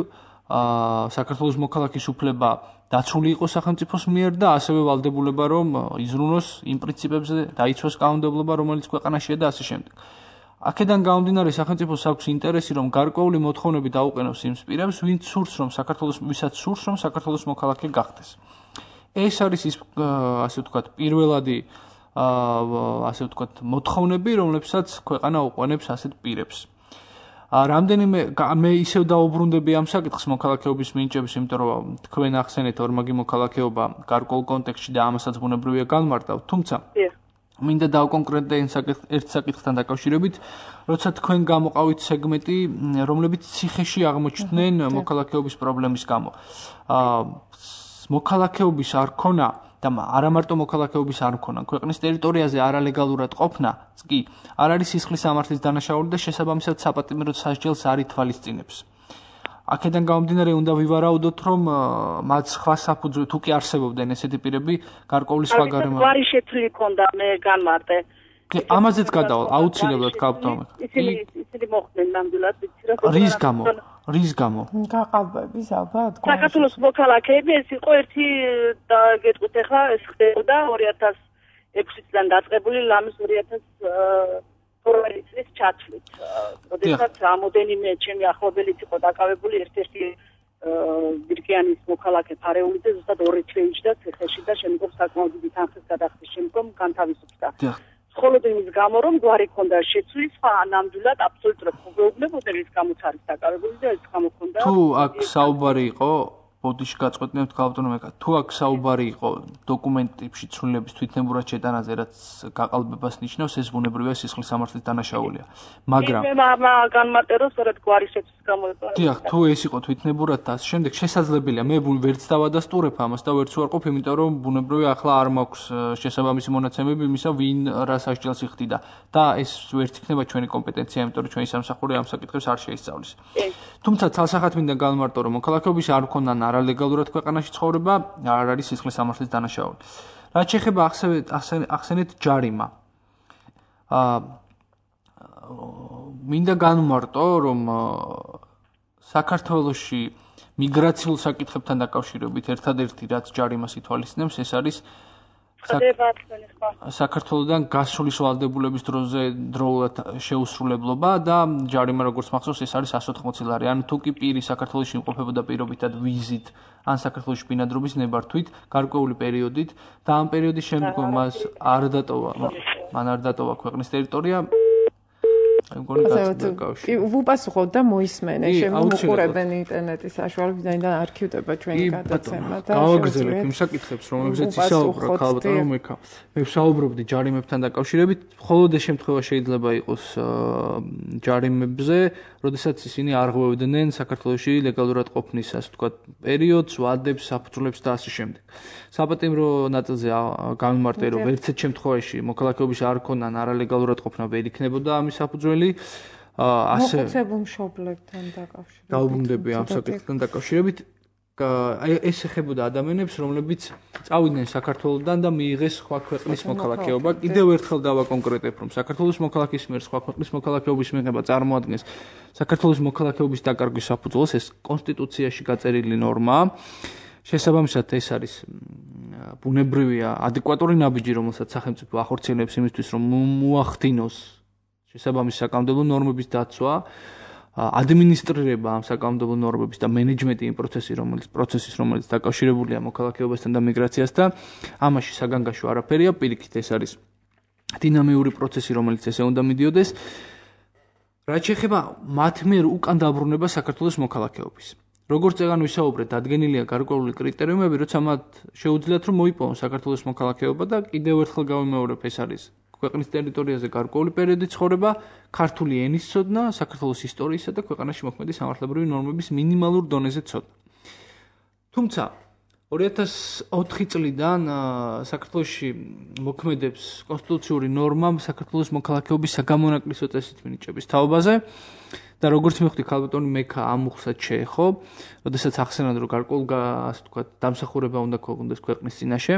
საქართველოს მოქალაქის უფლება დაცული იყოს სახელმწიფოს მიერ და ასევე ვალდებულება რომ იზრუნოს იმ პრინციპებზე დაიცვას კანონმდებლობა, რომელიც ქვეყანაშია და ასე შემდეგ. აქედან გამომდინარე სახელმწიფოს აქვს ინტერესი, რომ გარკვეული მოთხოვნები დაუყენოს იმ პირებს, ვისაც სურს, რომ საქართველოს მოქალაქე გახდეს. ეს არის ის ასე ვთქვათ, პირველადი ასე ვთქვათ, მოთხოვნები, რომლებსაც ქვეყანა უყენებს ასეთ პირებს. რამდენიმე მე ისევ დაუბრუნდები ამ საკითხს მოქალაქეობის მინიჭების, იმიტომ რომ თქვენ ახსენეთ ორმაგი მოქალაქეობა გარკვეულ კონტექსტში და ამასაც ბუნებრივია განმარტავ, თუმცა მინდა დავკონკრეტდე ერთ საკითხთან დაკავშირებით, როცა თქვენ გამოყავით სეგმენტი, რომლებიც ციხეში აღმოჩნდნენ მოქალაქეობის პრობლემის გამო. მოქალაქეობის არ ქონა და არა მარტო მოქალაქეობის არ ქონა, ქვეყნის ტერიტორიაზე არალეგალურად ყოფნაც კი არ არის სისხლის სამართლის დანაშაული და შესაბამისად საპატიმრო სასჯელს არ ითვალისწინებს. აქედან გამომდინარე უნდა ვივარაუდოთ, რომ მათ სხვა საფუძველი თუ კი არსებობდნენ ესეთი პირები, გარკვეული სხვა გარემო. გვარი შეცვლილი ქონდა, მე განმარტე. ამაზეც გადავალ, აუცილებლად გავტოვე. ისინი მოხდნენ ნამდვილად, ვიცი რა. რის გამო? გაყალბების ალბათ. საქართველოს მოქალაქეები ეს იყო ერთი და გეტყვით ახლა ეს ხდებოდა 2006 წლიდან დაწყებული ლამის 2012 წლის ჩათვლით. როდესაც რამოდენიმე ჩემი ახლობელიც იყო დაკავებული ერთ-ერთი ბირკიანის მოქალაქე ფარეულიძე ზუსტად 2 თვე იჯდა ციხეში და შემდგომ საკმაოდ დიდი თანხის გადახდის შემდგომ განთავისუფლდა. მხოლოდ იმის გამო, რომ გვარი ქონდა შეცვლილი, სხვა ნამდვილად აბსოლუტურად მოგეუბნებოდა რის გამოც არის დაკავებული და ეს გამოქონდა. თუ აქ საუბარი იყო ბოდიში გაწყვეტნებთ გაავტონომია. თუ აქ საუბარი იყო დოკუმენტებში ცვლილების თვითნებურად შეტანაზე, რაც გაყალბებას ნიშნავს, ეს ბუნებრივია სისხლის სამართლის დანაშაულია. მაგრამ მე განმარტე რომ სწორედ გვარი შეცვლის გამო იყო. დიახ, თუ ეს იყო თვითნებურად და ამ შემდეგ შესაძლებელია მე ვერც დავადასტურებ ამას და ვერც ვარყოფ, იმიტომ რომ ბუნებრივია ახლა არ მაქვს შესაბამისი მონაცემები იმისა, ვინ რა სასჯელს იხდიდა და ეს ვერც იქნება ჩვენი კომპეტენცია, იმიტომ რომ ჩვენი სამსახური ამ საკითხებს არ შეისწავლის. თუმცა ცალსახად მინდა განმარტო, რომ მოქალაქეობის არ ქონდან არალეგალურად ქვეყანაში ცხოვრება არ არის სისხლის სამართლის დანაშაული. რაც შეეხება ახსენეთ ჯარიმა. მინდა განმარტო, რომ საქართველოში მიგრაციულ საკითხებთან დაკავშირებით ერთადერთი რაც ჯარიმას ითვალისწინებს, ეს არის საქართველოდან გასulis ვალდებულების დროულად შეუსრულებლობა და ჯარიმა როგორც მახსოვს ეს არის 180 ლარი. ანუ თუ კი პირი საქართველოში იმყოფებოდა პირობითად ვიზით ან საქართველოში ბინადრობის ნებართვით გარკვეული პერიოდით და ამ პერიოდის შემდგომ მას არ დატოვა ქვეყნის ტერიტორია, აი მგონი კი ვუპასუხოთ და მოისმენე, შემოუყურებენ ინტერნეტის საშუალებიდან და არქივდება ჩვენი გადაცემა და გავაგრძელებ იმ საკითხებს, რომლებზეც ისაუბრა ქალბატონო მეკა. მე ვსაუბრობდი ჯარიმებთან დაკავშირებით, მხოლოდ ეს შემთხვევა შეიძლება იყოს ჯარიმებზე, როდესაც ისინი არღვევდნენ საქართველოში ლეგალურად ყოფნის, ასე ვთქვათ, პერიოდს, ვადებს, საფუძვლებს და ასე შემდეგ. საპატიმრო ნაწილზე გამიმარტე, რომ ვერცერთ შემთხვევაში მოქალაქეობის არ ქონან არალეგალურად ყოფნა ვერ იქნებოდა ამის საფუძველი. ასე მოხუცებულ მშობლებთან დაკავშირებით. დაუბრუნდები ამ საკითხთან დაკავშირებით. ეს ეხებოდა ადამიანებს, რომლებიც წავიდნენ საქართველოსდან და მიიღეს სხვა ქვეყნის მოქალაქეობა. კიდევ ერთხელ დავაკონკრეტებ, რომ საქართველოს მოქალაქის მიერ სხვა ქვეყნის მოქალაქეობის მიღება წარმოადგენს საქართველოს მოქალაქეობის დაკარგვის საფუძველს, ეს კონსტიტუციაში გაწერილი ნორმაა. შესაბამისად, ეს არის ბუნებრივია, ადეკვატური ნაბიჯი, რომელსაც სახელმწიფო ახორციელებს იმისთვის, რომ მოახდინოს შესაბამის საკანონმდებლო ნორმების დაცვა. ადმინისტრირება ამ საკანონმდებლო ნორმების და მენეჯმენტი იმ პროცესის, რომელიც დაკავშირებულია მოქალაქეობასთან და მიგრაციასთან, ამაში საგანგაშო არაფერია, პირიქით ეს არის დინამიური პროცესი, რომელიც ესე უნდა მიდიოდეს. რაც შეეხება მათ მიერ უკან დაბრუნება საქართველოს მოქალაქეობის. როგორც წეგან ვისაუბრეთ, დადგენილია გარკვეული კრიტერიუმები, როცა მათ შეუძლიათ რომ მოიპოვონ საქართველოს მოქალაქეობა და კიდევ ერთხელ გავიმეორებ, ეს არის ქვეყნის ტერიტორიაზე გარკვეული პერიოდი ცხოვრება, ქართული ენის ცოდნა, საქართველოს ისტორიისა და ქვეყანაში მოქმედი სამართლებრივი ნორმების მინიმალურ დონეზე ცოდნა. თუმცა 2004 წლიდან საქართველოში მოქმედებს კონსტიტუციური ნორმა საქართველოს მოქალაქეობის საგამონაკლისო წესით მინიჭების თაობაზე და როგორც მივხვდი, ქალბატონი მექა ამ უხსად შეეხო, როდესაც ახსენან, რომ გარკვეული, ასე ვთქვათ, დამსახურება უნდა ქონდეს ქვეყნის წინაშე.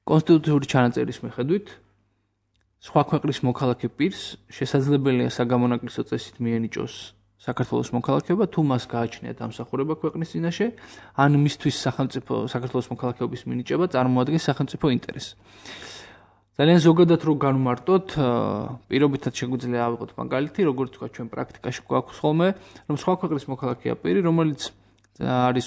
კონსტიტუციური ჩანაწერის მიხედვით სხვა ქვეყნის მოქალაქე პირს შესაძლებელია საგამონაკლისო წესით მიენიჭოს საქართველოს მოქალაქეობა, თუ მას გააჩნია დამსახურება ქვეყნის წინაშე, ან მისთვის საქართველოს მოქალაქეობის მინიჭება წარმოადგენს სახელმწიფო ინტერესს. ძალიან ზოგადად რო განვმარტოთ, პირობითად შეგვიძლია ავიღოთ მაგალითი, როგორც თქვა ჩვენ პრაქტიკაში გვაქვს ხოლმე, რომ სხვა ქვეყნის მოქალაქეა პირი, რომელიც არის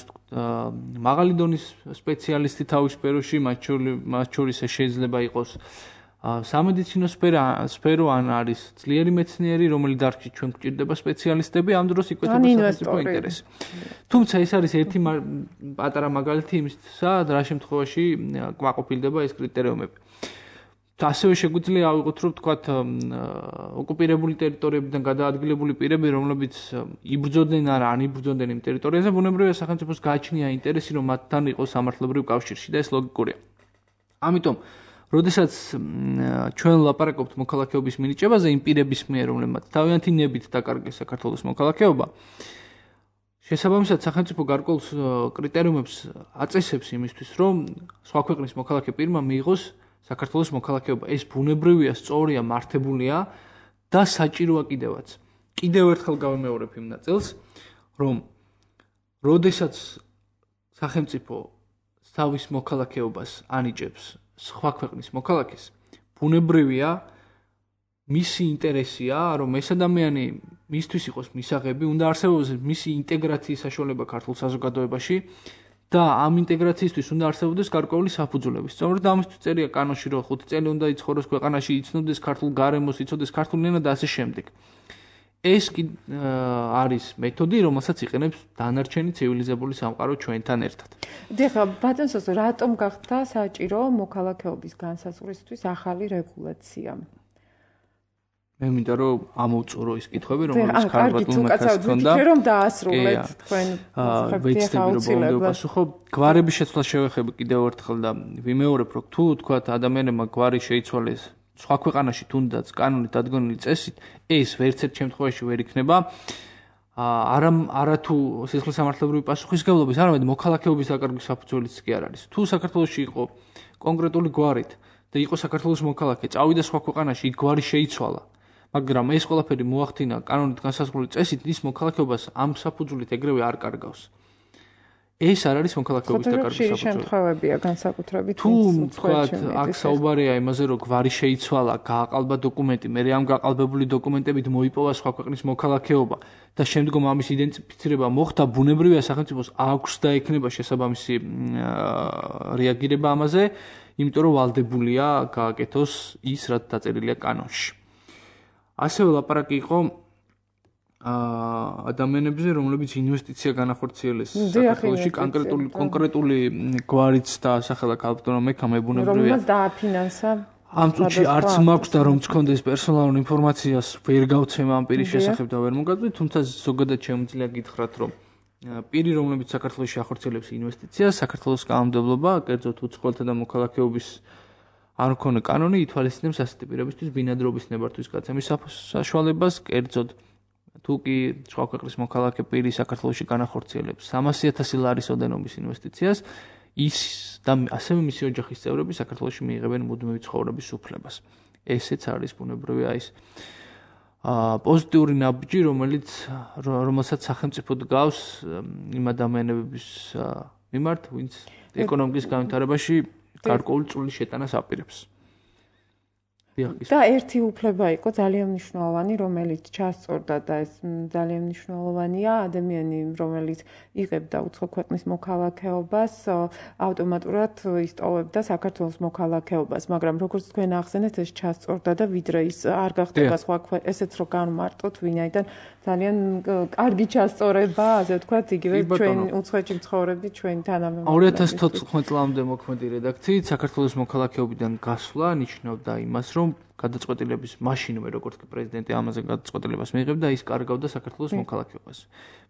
მაღალი დონის სპეციალისტი თავის სფეროში, მათ შორის შეიძლება იყოს სამედიცინო სფერო, ან არის ძლიერი მეცნიერი, რომელი დარგში ჩვენ გვჭირდება სპეციალისტები, ამ დროს იკვეთება სახელმწიფო ინტერესი. თუმცა ეს არის ერთი პატარა მაგალითი იმისა, რა შემთხვევაში კმაყოფილდება ეს კრიტერიუმები. ასევე შეგვიძლია ავიღოთ, რომ ვთქვათ, ოკუპირებული ტერიტორიებიდან გადაადგილებული პირები, რომლებიც იბრძოდნენ ან იბრძოდნენ იმ ტერიტორიაზე, ბუნებრივია სახელმწიფოს გააჩნია ინტერესი, რომ მათთან იყოს სამართლებრივ კავშირში და ეს ლოგიკურია. ამიტომ, როდესაც ჩვენ ლაპარაკობთ მოქალაქეობის მინიჭებაზე იმ პირების მიერ, რომლებმაც თავიანთი ნებით დაკარგეს საქართველოს მოქალაქეობა, შესაბამისად სახელმწიფო გარკვეულ კრიტერიუმებს აწესებს იმისთვის, რომ სხვა ქვეყნის მოქალაქე პირმა მიიღოს საქართველოს მოქალაქეობა. ეს ბუნებრივია, სწორია, მართებულია და საჭიროა კიდევაც. კიდევ ერთხელ გავიმეორებ იმ ნაწილს, რომ როდესაც სახელმწიფო თავის მოქალაქეობას ანიჭებს სხვა ქვეყნის მოქალაქეს, ბუნებრივია, მისი ინტერესია, რომ ეს ადამიანი მისთვის იყოს მისაღები, უნდა არსებობდეს მისი ინტეგრაციის საშუალება ქართულ საზოგადოებაში. და ამ ინტეგრაციისთვის უნდა არსებობდეს გარკვეული საფუძვლები. სწორედ ამისთვის წერია კანონში, რომ 5 წელი უნდა იცხოვროს ქვეყანაში, იცნობდეს ქართულ გარემოს, იცოდეს ქართული ენა და ასე შემდეგ. ეს არის მეთოდი, რომელსაც იყენებს დანარჩენი ცივილიზებული სამყარო ჩვენთან ერთად. დიახ, ბატონსოს, რატომ გახდა საჭირო მოქალაქეობის განსაზღვრისთვის ახალი რეგულაცია? მე მინდა რომ ამოვწურო ის კითხვები, რომელიც ქალბატონმა ჰქონდა. რომ დაასრულეთ თქვენ პასუხო. გვარების შეცვლა შევეხები კიდევ ერთხელ და ვიმეორებ, რომ თუ თქვათ ადამიანებმა გვარი შეიცვალეს სხვა ქვეყანაში თუნდაც კანონით დადგმული წესით, ეს ვერცერთ შემთხვევაში ვერ იქნება არა თუ სისხლის სამართლებრივი პასუხისმგებლობის, არამედ მოქალაქეობის დაკარგვის საფუძველიც კი არ არის. თუ საქართველოში იყო კონკრეტული გვარით და იყო საქართველოს მოქალაქე, წავიდა სხვა ქვეყანაში, იქ გვარი შეიცვალა. მაგრამ ეს ყველაფერი მოახდინა კანონით განსაზღვრული წესით, ის მოქალაქეობას ამ საფუძვლით ეგრევე არ კარგავს. ეს არ არის მოქალაქეობის დაკარგვის საფუძველი. შემთხვევებია განსაკუთრებით. თუ თქვათ, აქ საუბარია იმაზე, რომ გვარი შეიცვალა, გააყალბა დოკუმენტი, მე ამ გაყალბებული დოკუმენტებით მოიპოვა სხვა ქვეყნის მოქალაქეობა და შემდგომ ამის იდენტიფიცირება მოხდა, ბუნებრივია სახელმწიფოს აქვს და ექნება შესაბამისი რეაგირება ამაზე, იმიტომ რომ ვალდებულია გააკეთოს ის, რაც დაწერილია კანონში. ასევე ლაპარაკი იყო ადამიანებზე, რომლებიც ინვესტიცია განახორციელეს საქართველოში, კონკრეტული გვარიც და სახელა ქალბატონმა მექამ, ბუნებრივია. რომელმაც დააფინანსა ამ წუთში არც მაქვს და რომ გქონდეს პერსონალურ ინფორმაციას ვერ გავცემ ამ პირის შესახებ და ვერ მოგაწვით, თუმცა ზოგადად შემიძლია გითხრათ, რომ პირი, რომლებიც საქართველოში ახორციელებს ინვესტიციას, საქართველოს კანონმდებლობა, კერძოდ უცხოელთა და მოქალაქეობის არ მქონე კანონი ითვალისწინებს ასეთი პირებისთვის ბინადრობის ნებართვის გაცემის საშუალებას, კერძოდ თუ კი სხვა ქვეყნის მოქალაქე პირი საქართველოში განახორციელებს 300,000 ლარის ოდენობის ინვესტიციას, ის და ასევე მისი ოჯახის წევრები საქართველოში მიიღებენ მუდმივი ცხოვრების უფლებას. ესეც არის ბუნებრივია ის პოზიტიური ნაბიჯი, რომელსაც სახელმწიფო დგავს იმ ადამიანების მიმართ, ვინც ეკონომიკის განვითარებაში გარკვეული წვლილი შეტანას აპირებს. და ერთი უფლება იყო ძალიან მნიშვნელოვანი, რომელიც ჩასწორდა და ეს ძალიან მნიშვნელოვანია, ადამიანი, რომელიც იღებდა უცხო ქვეყნის მოქალაქეობას, ავტომატურად ისტოვებდა საქართველოს მოქალაქეობას, მაგრამ როგორც თქვენ ახსენეთ, ეს ჩასწორდა და ვიდრე ის არ გახდება სხვა ესეც რო განმარტოთ, ვინაიდან ძალიან კარგი ჩასწორება, ასე ვთქვათ, იგივე ჩვენ უცხოეთში მცხოვრები ჩვენი თანამემამულეები. 2014 წლამდე მოქმედი რედაქციით საქართველოს მოქალაქეობიდან გასვლა ნიშნავდა იმას, რომ გადაწყვეტილების მაშინვე როგორც კი პრეზიდენტი ამაზე გადაწყვეტილებას მიიღებდა, ის კარგავდა საქართველოს მოქალაქეობას.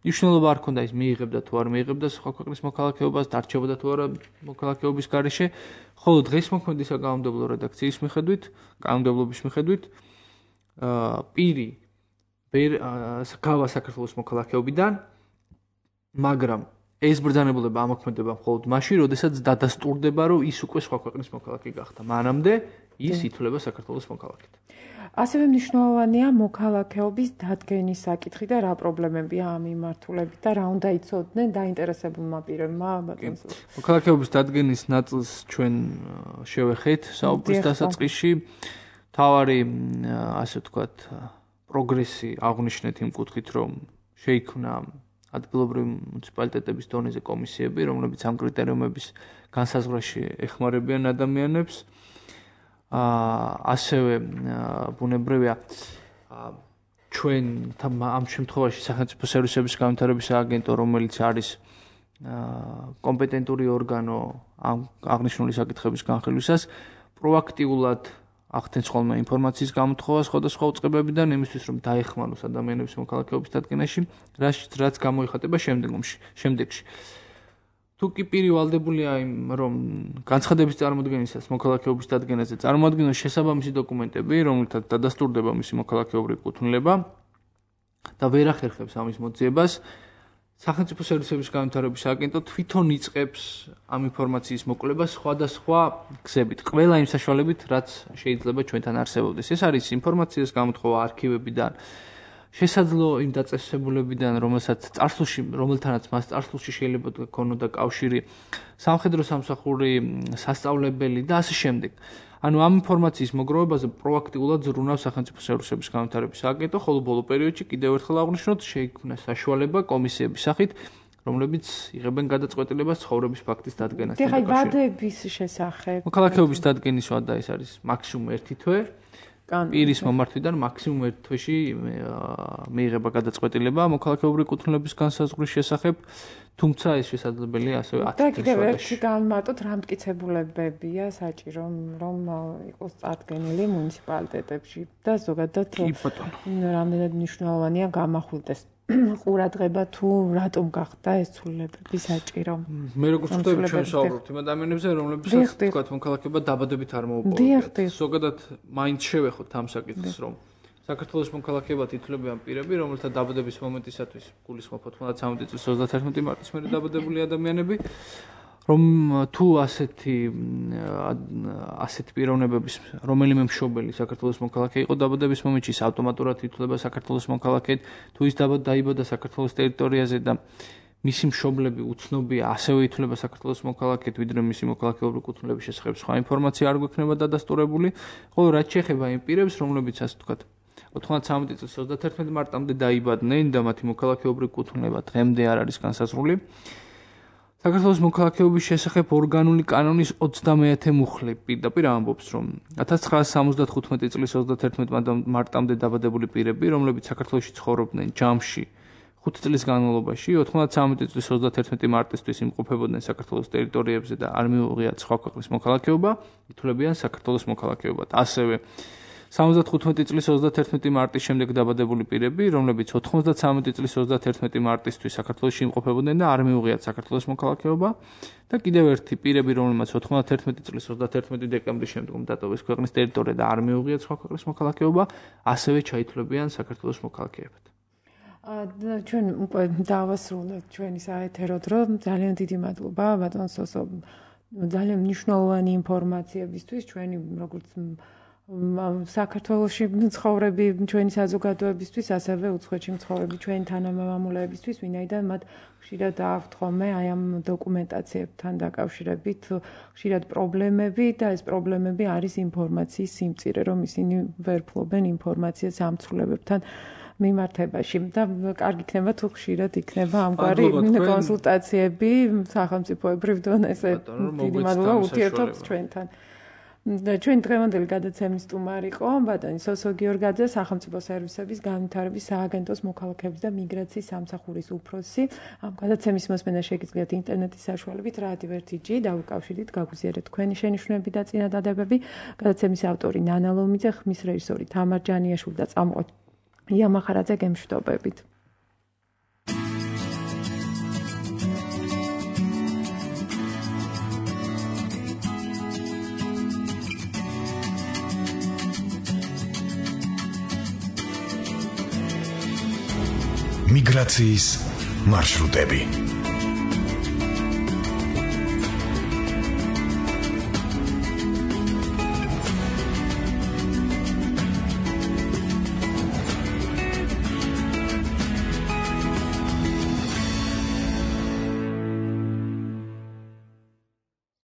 მნიშვნელობა არ ჰქონდა ის მიიღებდა თუ არ მიიღებდა სხვა ქვეყნის მოქალაქეობას, დარჩებოდა თუ არა მოქალაქეობის გარეშე, ხოლო დღეს მოქმედი საკანონმდებლო რედაქციის მიხედვით, კანონმდებლობის მიხედვით, პირი გავა საქართველოს მოქალაქეობიდან, მაგრამ ეს ბრძანებულება ამოქმედება მხოლოდ მაშინ, როდესაც დადასტურდება, რომ ის უკვე სხვა ქვეყნის მოქალაქე გახდა. მანამდე ის ითვლება საქართველოს მოქალაქედ. ასევე მნიშვნელოვანია მოქალაქეობის დადგენის საკითხი და რა პრობლემებია ამ მიმართულებით და რა უნდა იცოდნენ დაინტერესებულმა პირებმა. მოქალაქეობის დადგენის ნაწილს ჩვენ შევეხეთ საუბრის დასაწყისში. თავარი, ასე ვთქვათ, პროგრესი აღნიშნეთ იმ კუთხით, რომ შეიქმნა ადგილობრივი მუნიციპალიტეტების დონეზე კომისიები, რომლებიც ამ კრიტერიუმების განსაზღვრაში ეხმარებიან ადამიანებს. ასევე ბუნებრივია ჩვენ ამ შემთხვევაში სახელმწიფო სერვისების განვითარების სააგენტო, რომელიც არის კომპეტენტური ორგანო ამ აღნიშნული საკითხების განხილვისას, პროაქტიულად ახდენს ხოლმე ინფორმაციის გამოთხოვას სხვადასხვა უწყებებიდან იმისთვის, რომ დაეხმაროს ადამიანების მოქალაქეობის დადგენაში, რაც გამოიხატება შემდეგში. თუ კი პირი ვალდებულია რომ განცხადების წარმოდგენისას მოქალაქეობის დადგენაზე წარმოადგინოს შესაბამისი დოკუმენტები, რომელთაც დადასტურდება მისი მოქალაქეობრივი კუთვნილება და ვერ ახერხებს ამის მოძიებას, სახელმწიფო სერვისების განვითარების სააგენტო თვითონ იწყებს ამ ინფორმაციის მოკვლევას სხვადასხვა გზებით, ყველა იმ საშუალებით, რაც შეიძლება ჩვენთან არსებობდეს. ეს არის ინფორმაციის გამოთხოვა არქივებიდან, შესაძლო იმ დაწესებულებიდან, რომელთანაც მას წარსულში შეიძლება ქონოდა კავშირი, სამხედრო სამსახური, სასწავლებელი და ასე შემდეგ. ანუ ამ ინფორმაციის მოგროვებაზე პროაქტიულად ზრუნავს სახელმწიფო სერვისების განვითარების სააგენტო, ხოლო ბოლო პერიოდში კიდევ ერთხელ აღვნიშნოთ, შეიქმნა საშუალება კომისიების სახით, რომლებიც იღებენ გადაწყვეტილებას ცხოვრების ფაქტის დადგენასთან დაკავშირებით. ვადების შესახებ. მოქალაქეობის დადგენის ვადა ეს არის მაქსიმუმ 1 თვე. პირის მომართვიდან მაქსიმუმ 1 თვეში მიიღება გადაწყვეტილება მოქალაქეობრივი კუთვნილების განსაზღვრის შესახებ, თუმცა ეს შესაძლებელია ასევე 10 თვეში. და კიდევ ერთი განმარტოთ, რა მტკიცებულებებია საჭირო, რომ იყოს წარდგენილი მუნიციპალიტეტებში და ზოგადად რამდენად მნიშვნელოვანია გამახვილდეს ყურადღება თუ რატომ გახდა ეს ცვლილებები საჭირო. მე როგორც ვხვდები ჩვენ საუბრობთ იმ ადამიანებზე, რომლებსაც თქვათ მოქალაქეობა დაბადებით არ მოუპოვებიათ. ზოგადად მაინც შევეხოთ ამ საკითხს, რომ საქართველოს მოქალაქეობად ითვლებიან პირები, რომელთა დაბადების მომენტისათვის გულისხმობთ 19 წლის 31 მარტის მერე დაბადებული ადამიანები, რომ თუ ასეთი პიროვნებების რომელიმე მშობელი საქართველოს მოქალაქე იყო დაბადების მომენტში, ავტომატურად ითვლება საქართველოს მოქალაქედ, თუ ის დაიბადა საქართველოს ტერიტორიაზე და მისი მშობლები უცნობია, ასევე ითვლება საქართველოს მოქალაქედ, ვიდრე მისი მოქალაქეობრივი კუთვნილების შესახებ სხვა ინფორმაცია არ გვექნება დადასტურებული, ხოლო რაც შეეხება იმ პირებს, რომლებიც ასე ვთქვათ 93 წლის 31 მარტამდე დაიბადნენ და მათი მოქალაქეობრივი კუთვნილება დღემდე არ არის განსაზღვრული. საქართველოს მოქალაქეობის შესახებ ორგანული კანონის 30-ე მუხლი პირდაპირ ამბობს, რომ 1975 წლის 31 მარტამდე დაბადებული პირები, რომლებიც საქართველოში ცხოვრობდნენ ჯამში 5 წლის განმავლობაში 93 წლის 31 მარტისთვის იმყოფებოდნენ საქართველოს ტერიტორიებზე და არ მიუღიათ სხვა ქვეყნის მოქალაქეობა, ითვლებიან საქართველოს მოქალაქეობად. ასევე 75 წლის 31 მარტის შემდეგ დაბადებული პირები, რომლებიც 93 წლის 31 მარტისთვის საქართველოში იმყოფებოდნენ და არ მიუღიათ საქართველოს მოქალაქეობა და კიდევ ერთი პირები, რომლებიც 91 წლის 31 დეკემბრის შემდგომ დატოვეს ქვეყნის ტერიტორია და არ მიუღიათ სხვა ქვეყნის მოქალაქეობა, ასევე ჩაითვლებიან საქართველოს მოქალაქეებად. ჩვენ უკვე დავასრულეთ ჩვენი საეთერო დრო. ძალიან დიდი მადლობა ბატონ სოსო. ძალიან მნიშვნელოვანი ინფორმაციებისთვის ჩვენი როგორც საქართველოში მცხოვრები ჩვენი საზოგადოებისთვის, ასევე უცხოეთში მცხოვრები ჩვენი თანამემამულეებისთვის, ვინაიდან მათ ხშირად აქვთ ხოლმე აი ამ დოკუმენტაციებთან დაკავშირებით ხშირად პრობლემები და ეს პრობლემები არის ინფორმაციის სიმწირე, რომ ისინი ვერ ფლობენ ინფორმაციას ამ ცვლილებებთან მიმართებაში და კარგი იქნება თუ ხშირად იქნება ამგვარი კონსულტაციები სახელმწიფოებრივ დონეზე. დიდი მადლობა ურთიერთობთ ჩვენთან. Ჩვენ დღევანდელი გადაცემის სტუმარი იყო ბატონი სოსო გიორგაძე, სახელმწიფო სერვისების განვითარების სააგენტოს მოქალაქეობის და მიგრაციის სამსახურის უფროსი. ამ გადაცემის მოსმენა შეგიძლიათ ინტერნეტის საშუალებით რადიო 1G დავიკავშირდით, გაგვიზიარეთ თქვენი შენიშვნები და წინადადებები. გადაცემის ავტორი ნანა ლომიძე, ხმის რეჟისორი თამარ ჯანიაშვილი და წამყვანი ია მახარაძე გემშვიდობებით. მიგრაციის მარშრუტები